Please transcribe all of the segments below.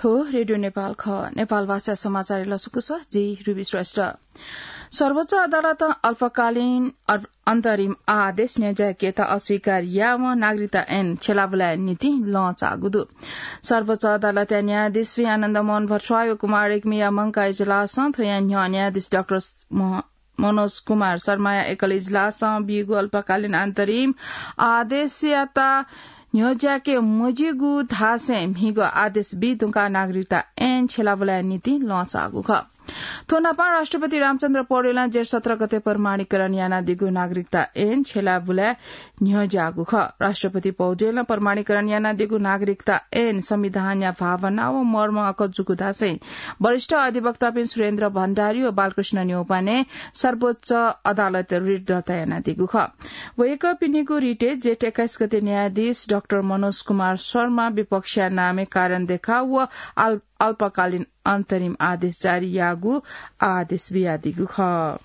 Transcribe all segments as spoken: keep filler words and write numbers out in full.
थ्व रेडियो नेपाल खः। नेपाल भाषा समाचार लसकुस, जि रुबी श्रेष्ठ। सर्वोच्च अदालतं अल्पकालीन अर-, अन्तरिम आदेश न्ह्यज्याकेत अस्वीकार यावं नागरिकता ऐन छ्यलाबुलाय् निंतिं लँ चाःगु दु। सर्वोच्च अदालतया न्यायाधीश श्री आनन्द मोहन भट्टराई व कुमार रेग्मीया मंकाः इजलासं थ्वया न्ह्यः न्यायाधीश डाक्टर मह-, मनोज कुमार शर्माया एकल इजलासं बीगु अल्पकालीन अन्तरिम आदेशयात न्ह्यज्याके मज्यूगु धासें म्हिगः आदेश बी धुंकाः नागरिकता ऐन छ्यलाबुलाय् निंतिं लँ चाःगु खः। थ्व नापं राष्ट्रपति रामचन्द्र पौडेलं जेठ सत्र गते प्रमाणीकरण यानादीगु नागरिकता ऐन छ्यलाबुलाय् न्ह्यज्याःगु खः। राष्ट्रपति पौडेलं प्रमाणीकरण यानादीगु नागरिकता ऐन संविधानया भावना व मर्म अकजूगु धासें वरिष्ठ अधिवक्तापिं सुरेन्द्र भण्डारी व बालकृष्ण न्यौपाने सर्वोच्च अदालतय् रिट दर्ता यानादीगु खः। वय्कःपिनिगु रिटय् जेठ एक्काइस गते न्यायाधीश डाक्टर मनोज कुमार शर्मा विपक्षया नामय् कारण देखाव व अल्-, अल्पकालीन अन्तरिम आदेश जारी याःगु आदेश बियादीगु खः।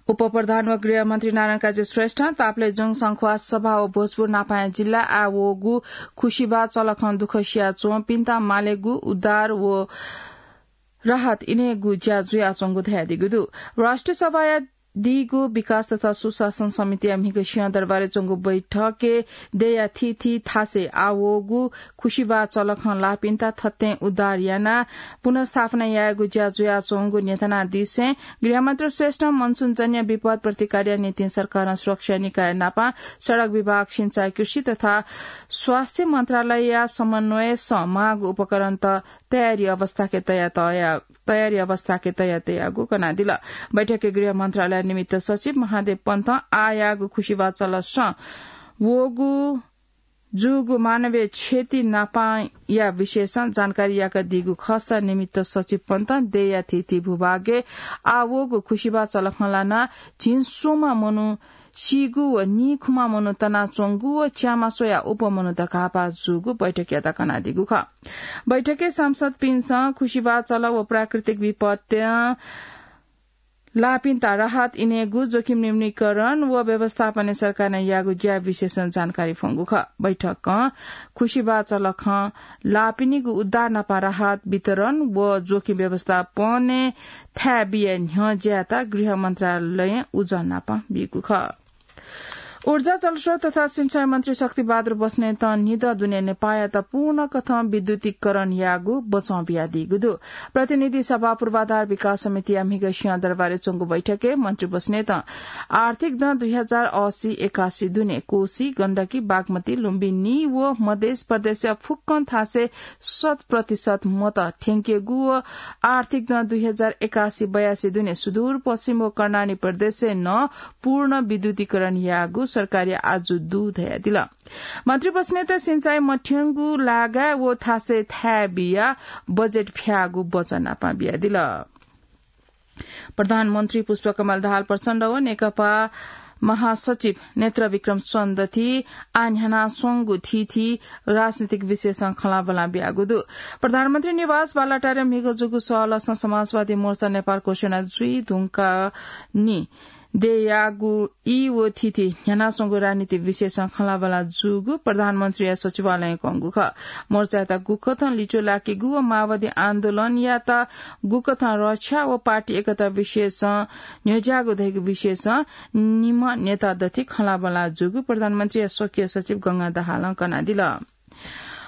उपप्रधान व गृहमन्त्री नारायण काजी श्रेष्ठं ताप्लेजुङ, शंखुवा, सभा व भोजपुर नापं जिल्लाय् आः वःगु खुसिबाः चलखं दुःख सियाच्वंपिन्त मालेगु उद्धार व राहत इनेगु ज्या जुयाच्वंगु धयादीगु दु। राष्ट्रिय सभाया दीगु विकास तथा सुशासन समितिया म्हिगः सिंहदरबारय् च्वंगु बैठकय् देय्‌या थीथी थासय् आः वःगु खुसिबाः चलखं लाःपिन्त थत्तें उद्धार यानाः पुनर्स्थापना यायेगु ज्या जुयाच्वंगु न्ह्यथनादिसें गृहमन्त्री श्रेष्ठं मनसुनजन्य विपद प्रतिकारया निंतिं सरकारं सुरक्षा निकाय नापं सडक विभाग, सिँचाइ, कृषि तथा स्वास्थ्य मन्त्रालयया समन्वयसं माःगु उपकरणत तयारी अवस्थाके तया तया, तयारी अवस्थाके तया तयागु कनादिल। बैठकय् गृह मन्त्रालय निमित्त सचिव महादेव पन्तं आः याःगु खुसिबाः चलखं वःगु जूगु मानवीय क्षति नापंया विषयसं जानकारी याकादीगु खःसा निमित्त सचिव पन्तं देय्‌या थीथी भूभागय् आः वःगु खुसिबाः चलखं लानाः झिंस्वम्ह मनू सीगु व नीखुम्ह मनू तनाच्वंगु व च्यामा स्वयाः उप मनू धकाः भाः जूगु बैठकयात कनादीगु खः। बैठकय् सांसदपिन्सं खुसिबाः चलख व प्राकृतिक विपत्ति लाःपिन्त राहत इनेगु, जोखिम न्यूनीकरण व व्यवस्थापनय् सरकारं याःगु ज्या विषयसं जानकारी फ्वंगु खः। बैठकं खुसिबाः चलखं लाःपिनिगु उद्धार नापं राहत वितरण व जोखिम व्यवस्थापनय् थाय् बिया न्ह्यः ज्यायात गृह मन्त्रालयं उजं नापं बीगु खः। ऊर्जा, जलस्रोत तथा सिँचाइ मन्त्री शक्तिबहादुर बस्नेतं निदँ दुने नेपाःयात पूर्ण कथं विद्युतीकरण यायेगु बचं बियादीगु दु। प्रतिनिधि सभा पूर्वाधार विकास समितिया म्हिगः सिंहदरबारय् च्वंगु बैठकय् मन्त्री बस्नेतं आर्थिक दँ दुई हजार असी एकासी दुने कोशी, गण्डकी, बागमती, लुम्बिनी व मधेस प्रदेशया फुक्कं थासय् शत प्रतिशत मत थ्यंकेगु व आर्थिक दँ दुई हजार एकासी बयासी दुने सुदूरपश्चिम व कर्णाली प्रदेशय् नं पूर्ण विद्युतीकरण यायेगु सरकारया आजु दु धयादिल। मन्त्री बस्नेतं सिँचाइ मथ्यंगु लागाय् व थासय् थाय् बियाः बजेट फ्याःगु बचं नापं बियादिल। प्रधानमन्त्री पुष्पकमल दाहाल प्रचण्ड व नेकपा महासचिव नेत्र विक्रम चन्दति आः न्ह्यानाच्वंगु थीथी राजनीतिक विषयसं खँल्हाबल्हा बियागु दु। प्रधानमन्त्री निवास बालुवाटारय् म्हिगः जूगु सहलहसं समाजवादी मोर्चा नेपाल घोषणा जुइ धुंकाः नि देयागु ई व थीथी न्ह्यानाच्वंगु राजनीतिक विषयसं खँल्हाबल्हा जूगु प्रधानमन्त्रीया सचिवालयं कंगु खः। मोर्चायात गुकथं लिच्वः लाकेगु व माओवादी आन्दोलनयात गुकथं रक्षा व पार्टी एकता विषयसं न्ह्यज्याःगु धइगु विषयसं निम्ह नेता दथि खँल्हाबल्हा जूगु प्रधानमन्त्रीया स्वकीय सचिव गंगा दाहालं कनादिल।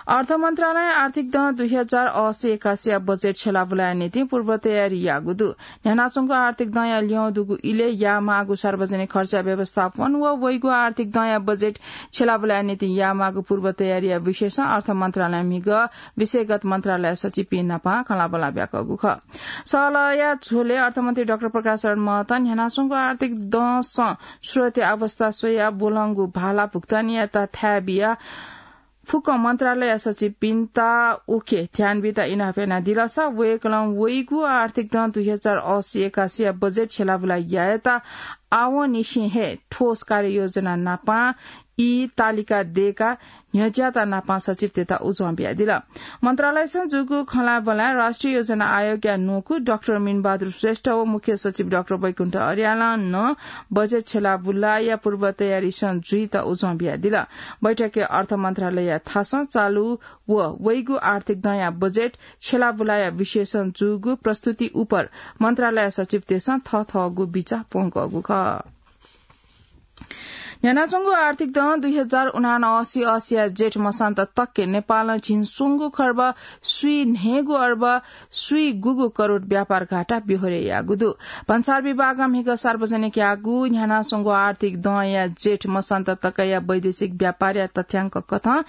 अर्थ मन्त्रालयं आर्थिक दँ दुई हजार असी एकासीया बजेट छ्यलाबुलाया निंतिं पूर्व तयारी याःगु दु। न्ह्यानाच्वंगु आर्थिक दँया ल्यं दुगु इलय् यायेमाःगु सार्वजनिक खर्चया व्यवस्थापन व वइगु आर्थिक दँया बजेट छ्यलाबुलाया निंतिं यायेमाःगु पूर्व तयारीया विषयसं अर्थ मन्त्रालयं म्हिगः विषयगत मन्त्रालय सचिवपिं नाप खँल्हाबल्हा ब्याकःगु खः। सहलहया झ्वलय् अर्थमन्त्री डाक्टर प्रकाश शरण महतं न्ह्यानाच्वंगु आर्थिक दँसं स्रोतया अवस्था स्वयाः ब्वलंगु भाला भुक्तानीयात थाय् बियाः फुक्क मन्त्रालय सचिवपिन्त उखे ध्यान बीत इनाप यानादिलसा वय्कलं वइगु आर्थिक दँ दुई हजार असी एकासीया बजेट छ्यलाबुला यायेत आवंनिसें हे ठोस कार्ययोजना नापं ई तालिका दय्‌काः न्ह्यज्याःत नापं सचिवतय्‌त उजं बियादिल। मन्त्रालयसं जूगु खँल्हाबल्हाय् राष्ट्रिय योजना आयोगया न्वंकू डाक्टर मीनबहादुर श्रेष्ठ व मुख्य सचिव डाक्टर वैकुण्ठ अर्यालं नं बजेट छ्यलाबुलाया पूर्व तयारीसं जुइत उजं बियादिल। बैठकय् अर्थ मन्त्रालयया थासं चालू व वइगु आर्थिक दँया बजेट छ्यलाबुलाया विषयसं जूगु प्रस्तुति उपर मन्त्रालय सचिवतय्‌सं थःथःगु बिचाः प्वंकःगु खः। न्ह्यानाच्वंगु आर्थिक दँ दुई हजार उनासी असीया जेठ मसान्त तकके नेपालं झिंस्वंगू खर्ब स्वीन्हय्‌गू अर्ब स्वीगूगू करोड व्यापार घाटा ब्यहोरे याःगु दु। भन्सार विभागं म्हिगः सार्वजनिक याःगु न्ह्यानाच्वंगु आर्थिक दँया जेठ मसान्त तकया वैदेशिक व्यापारया तथ्याङ्क कथं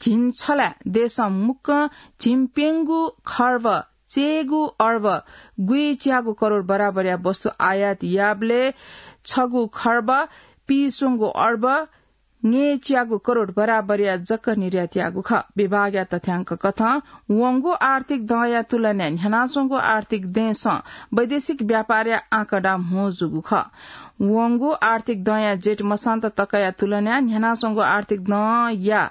झिंछला देशं मुक्कं झिंप्यंगू खर्ब चय्‌गू अर्ब गुइच्यागू करोड बराबरया वस्तु आयात याःबलय् छगू खर्ब पीस्वंगू अर्ब न्यय्‌च्यागू करोड बराबरया जक निर्यात याःगु खः। विभागया तथ्याङ्क कथं वंगु आर्थिक दँया तुलनाय् न्ह्यानाच्वंगु आर्थिक दँय्‌सं वैदेशिक व्यापारया आँकडा म्हो जूगु खः। वंगु आर्थिक दँया जेठ मसान्त तकया तुलनाय् न्ह्यानाच्वंगु आर्थिक दँया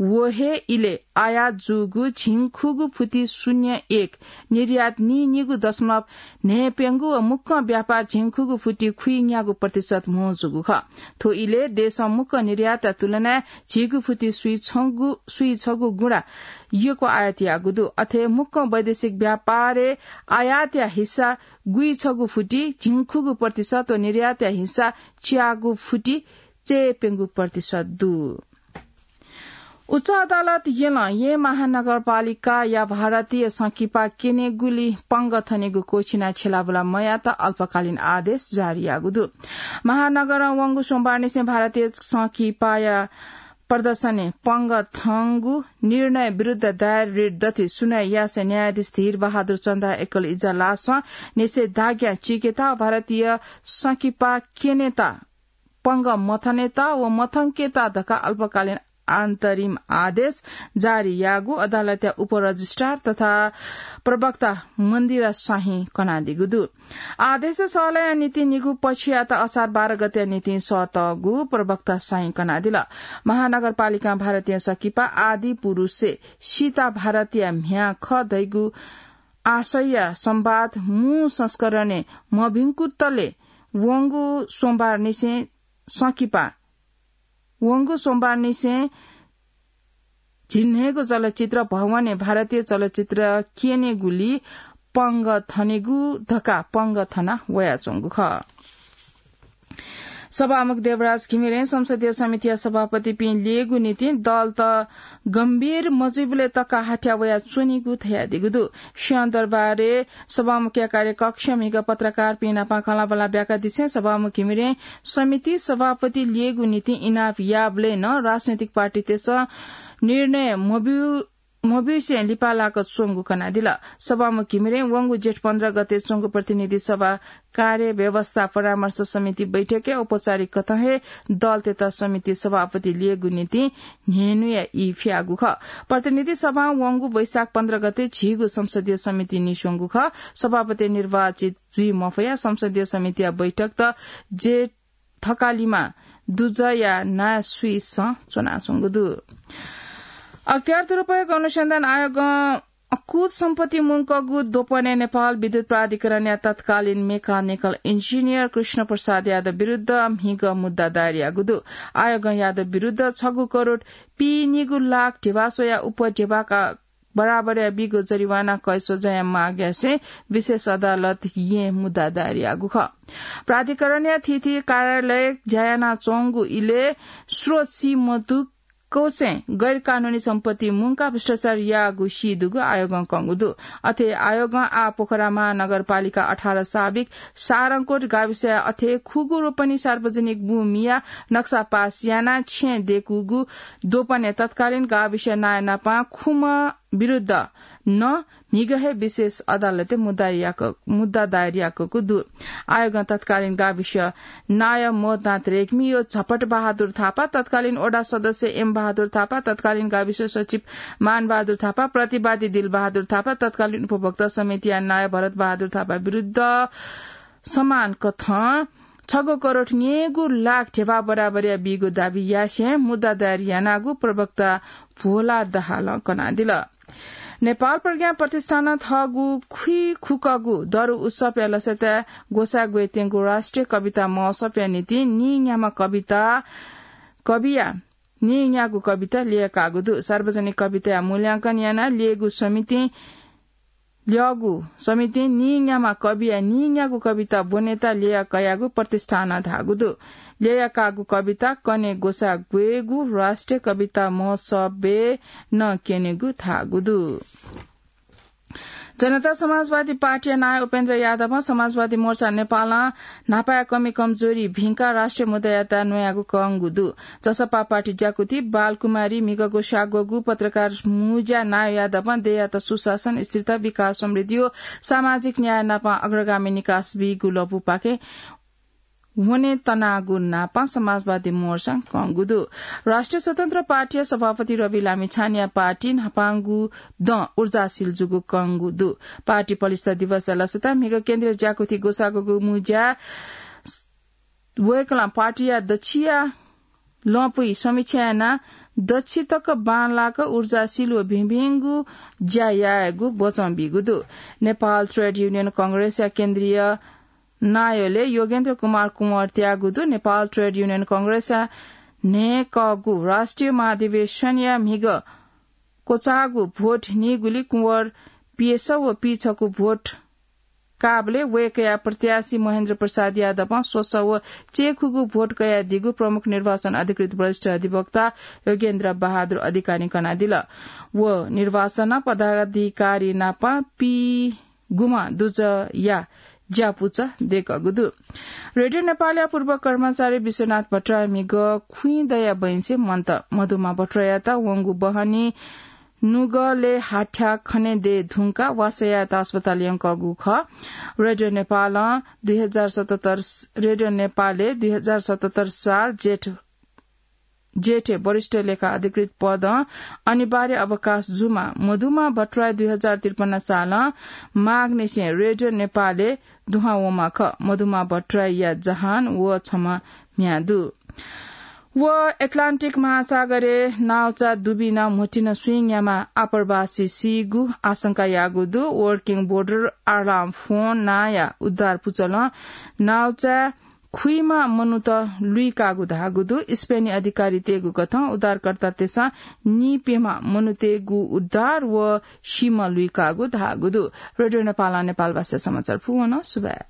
व हे इलय् आयात जूगु झिंखुगू फुति शून्य एक, निर्यात नीनिगू दशमलव न्हय्‌प्यंगू व मुक्कं व्यापार झिंखुगू फुति खुइन्यागू प्रतिशत म्हो जूगु खः। थ्व इलय् देशं मुक्कं निर्यातया तुलनाय् झिगू फुति स्वीछगू, स्वीछगू गुणा यक्व आयात याःगु दु। अथे मुक्कं वैदेशिक व्यापारय् आयातया हिस्सा गुइछगू फुति झिंखुगू प्रतिशत व निर्यातया हिस्सा च्यागू फुति चय्‌प्यंगू प्रतिशत दु। उच्च अदालत यलं येँ महानगरपालिकाया भारतीय संकिपा क्यनेगुली पंगः थनेगु क्वःछिनाः छ्यलाबुला मयात अल्पकालीन आदेश जारी याःगु दु। महानगरं वंगु सोमबारनिसें भारतीय संकिपाया प्रदर्शनय् पंगः थंगु निर्णय विरुद्ध दायर रिट दथुइ सुनवाई यासें न्यायाधीश धीर बहादुर चन्दा एकल इजलासं निषेधाज्ञा चीकेत भारतीय संकिपा क्यनेत पंगः मथनेत व मथंकेत धकाः अल्पकालीन अन्तरिम आदेश जारी याःगु अदालतया उपरजिस्ट्रार तथा प्रवक्ता मन्दिरा शाहीं कनादीगु दु। आदेश सहलया निंतिं निगू पक्षयात असार बाह्र गतेया निंतिं सःतःगु प्रवक्ता शाहीं कनादिल। महानगरपालिकां भारतीय संकिपा आदि पुरुषय् सीता भारतया म्ह्याय् खः धइगु आशयया संवाद मू संस्करणय् मभिंकुतले वंगु सोमबारनिसें संकिपा, वंगु सोमबारनिसें झिंन्हय्‌गू चलचित्र भवनय् भारतीय चलचित्र क्यनेगुली पंगः थनेगु धकाः पंगः थना वयाच्वंगु खः। सभामुख देवराज घिमिरें संसदीय समितिया सभापतिपिं ल्ययेगु निंतिं दलत गम्भीर मजुइबलय् तक हाथ्या वयाच्वनीगु धयादीगु दु। सिंहदरबारय् सभामुखया कार्यकक्षय् म्हिगः पत्रकारपिं नाप खँल्हाबल्हा ब्याकादिसें सभामुख घिमिरें समिति सभापति ल्ययेगु निंतिं इनाप याःबलय् नं राजनैतिक पार्टीतय्‌सं निर्णय मब्यू मब्यूसें लिपा लाक च्वंगु कनादिल। सभामुख घिमिरें वंगु जेठ पन्ध्र गते च्वंगु प्रतिनिधि सभा कार्य व्यवस्था परामर्श समिति बैठकय् औपचारिक कथं हे दलतय्‌त समिति सभापति ल्ययेगु निंतिं न्हय्‌न्हुया ई फ्याःगु खः। प्रतिनिधि सभां वंगु वैशाख पन्ध्र गते झीगु संसदीय समिति निस्वंगु खः। सभापति निर्वाचित जुइ मफयाः संसदीय समितिया बैठकत जेठ थकालिमा दुजःया नायः स्वीसं च्वनाच्वंगु दु। अख्तियार दुरुपयोग अनुसन्धान आयोगं अकुत सम्पत्ति मुंकूगु द्वपनय् नेपाल विद्युत प्राधिकरणया तत्कालीन मेकानिकल इन्जिनियर कृष्ण प्रसाद यादव विरुद्ध म्हिगः मुद्दा दायर याःगु दु। आयोगं यादव विरुद्ध छगू करोड पीनिगू लाख ध्यबा स्वयाः उप ध्यबाया बराबरया बिगु जरिवाना कय् स्वझ्याया माग यासें विशेष अदालत येँय् मुद्दा दायर याःगु खः। प्राधिकरणया थीथी कार्यालय ज्या यानाच्वंगु इलय् स्रोत सी मदुकूसें गैर कानूनी सम्पत्ति मुंकाः भ्रष्टाचार याःगु सी दुगु आयोगं कंगु दु। अथे आयोगं आः पोखरा महानगरपालिका अठार साबिक सारंकोट गाविसया अथे खुगू रोपनी सार्वजनिक भूमिया नक्सा पास यानाः छेँ दय्‌कूगु द्वपनय् तत्कालीन गाविस नायः नापं खुम्ह विरुद्ध नं म्हिगः हे विशेष अदालतय् मुद्दा याक-, मुद्दा दायर याकूगु दु। आयोगं तत्कालीन गाविस नायः मोहनाथ रेग्मी व झपट बहादुर थापा, तत्कालीन वडा सदस्य एम बहादुर थापा, तत्कालीन गाविस सचिव मान बहादुर थापा, प्रतिवादी दिल बहादुर थापा, तत्कालीन उपभोक्ता समितिया नायः भरत बहादुर थापा विरुद्ध समान कथं छगू करोड न्ययेगू लाख ध्यबा बराबरया बीगु दाबी यासें मुद्दा दायर यानागु प्रवक्ता भोला दाहालं कनादिल। नेपाल प्रज्ञा प्रतिष्ठानं थःगु खुइखुकःगु दरु उत्सवया लसताय् ग्वसाः ग्वयेत्यंगु राष्ट्रिय कविता महोत्सवया निंतिं नीन्याम्ह कविता, कविया नीन्यागू कविता ल्यय्काःगु दु। सार्वजनिक कविताया मूल्यांकन यानाः ल्यय्गु समितिं ल्यःगु समितिं नीन्याम्ह कविया नीन्यागू कविता ब्वनेत ल्यया कयागु प्रतिष्ठानं धाःगु दु। ल्यया काःगु कविता कने ग्वसाः ग्वयेगु राष्ट्रिय कविता महोत्सवय् नं क्यनेगु धाःगु दु। जनता समाजवादी पार्टीया नायः उपेन्द्र यादवं समाजवादी मोर्चा नेपालं न्हापाया कमी कमजोरी भिंकाः राष्ट्रिय मुद्दायात न्वयागु कंगु दु। जसपा पार्टी ज्याकुथि बालकुमारी म्हिगःगु स्याग्वःगु पत्रकार मुँज्या नायः यादवं देय्‌यात सुशासन, स्थिरता, विकास, समृद्धि व सामाजिक न्याय नाप अग्रगामी निकास बीगु लँपुपाखें वने तनागु नाप समाजवादी मोर्चां कंगु दु। राष्ट्रिय स्वतन्त्र पार्टीया सभापति रवि लामिछानेया पार्टी न्हापांगु दँ ऊर्जाशील जूगु कंगु दु। पार्टी पलिस्था दिवसया लसताय् म्हिगः केन्द्रीय ज्याकुथि ग्वसाःग्वःगु मुँज्या वय्‌कलं पार्टीया दच्छिया लँपुइ समीक्षा यानाः दच्छितक बांलाक ऊर्जाशील व भिंभिंगु ज्या यायेगु वचं बीगु दु। नेपाल ट्रेड युनियन कंग्रेसया केन्द्रीय नायःलय् योगेन्द्र कुमार कुँवर त्याःगु दु। नेपाल ट्रेड युनियन कंग्रेसया न्हय्‌कःगु राष्ट्रिय महाधिवेशनया म्हिगः क्वचाःगु भोट नीगुली कुँवर पिय्‌सः व पीछकू भोट काःबलय् वय्‌कःया प्रत्याशी महेन्द्र प्रसाद यादवं स्वसः व चय्‌खुगू भोट कयादीगु प्रमुख निर्वाचन अधिकृत वरिष्ठ अधिवक्ता योगेन्द्र बहादुर अधिकारीं कनादिल। व निर्वाचन पदाधिकारी नाप पीगुम्ह दुजःया ज्यापुचः दय्‌कःगु दु। रेडियो नेपालया पूर्व कर्मचारी विश्वनाथ भट्टराई म्हिगः खुइँ दयाः बैंसे मन्त। मधुमा भट्टराईयात वंगु बहनी नुगलय् हाथ्याः खने दये धुंकाः वासः यायेत अस्पताल यंकःगु खः। रेडियो नेपालं दुई हजार सतहत्तर, रेडियो नेपालय् दुई हजार सतहत्तर साल जेठ, जेठय् वरिष्ठ लेखा अधिकृत पदं अनिवार्य अवकाश जूमाः। मधुमा भट्टराई दुई हजार त्रिपन्न सालं माघनिसें रेडियो नेपालय् दुहां वःम्ह खः। मधुमा भट्टराईया जहान व छम्ह म्ह्याय् दु। व एटलान्टिक महासागरय् नाउचा दुबिन म्हुतिन स्वीन्याम्ह आप्रवासी सीगु आशंका याःगु दु। Working Border Alarm Phone नांया उद्धार पुचलं नाउचाय् खुइम्ह मनूत लुइकाःगु धाःगु दु। स्पेनी अधिकारीतय्‌गु कथं उद्धारकर्तातय्‌सं नीप्यम्ह मनूतय्‌गु उद्धार व सीम्ह लुइकाःगु धाःगु दु। रेडियो नेपालं नेपाल भाषा समाचार पूवन। सुभाय्।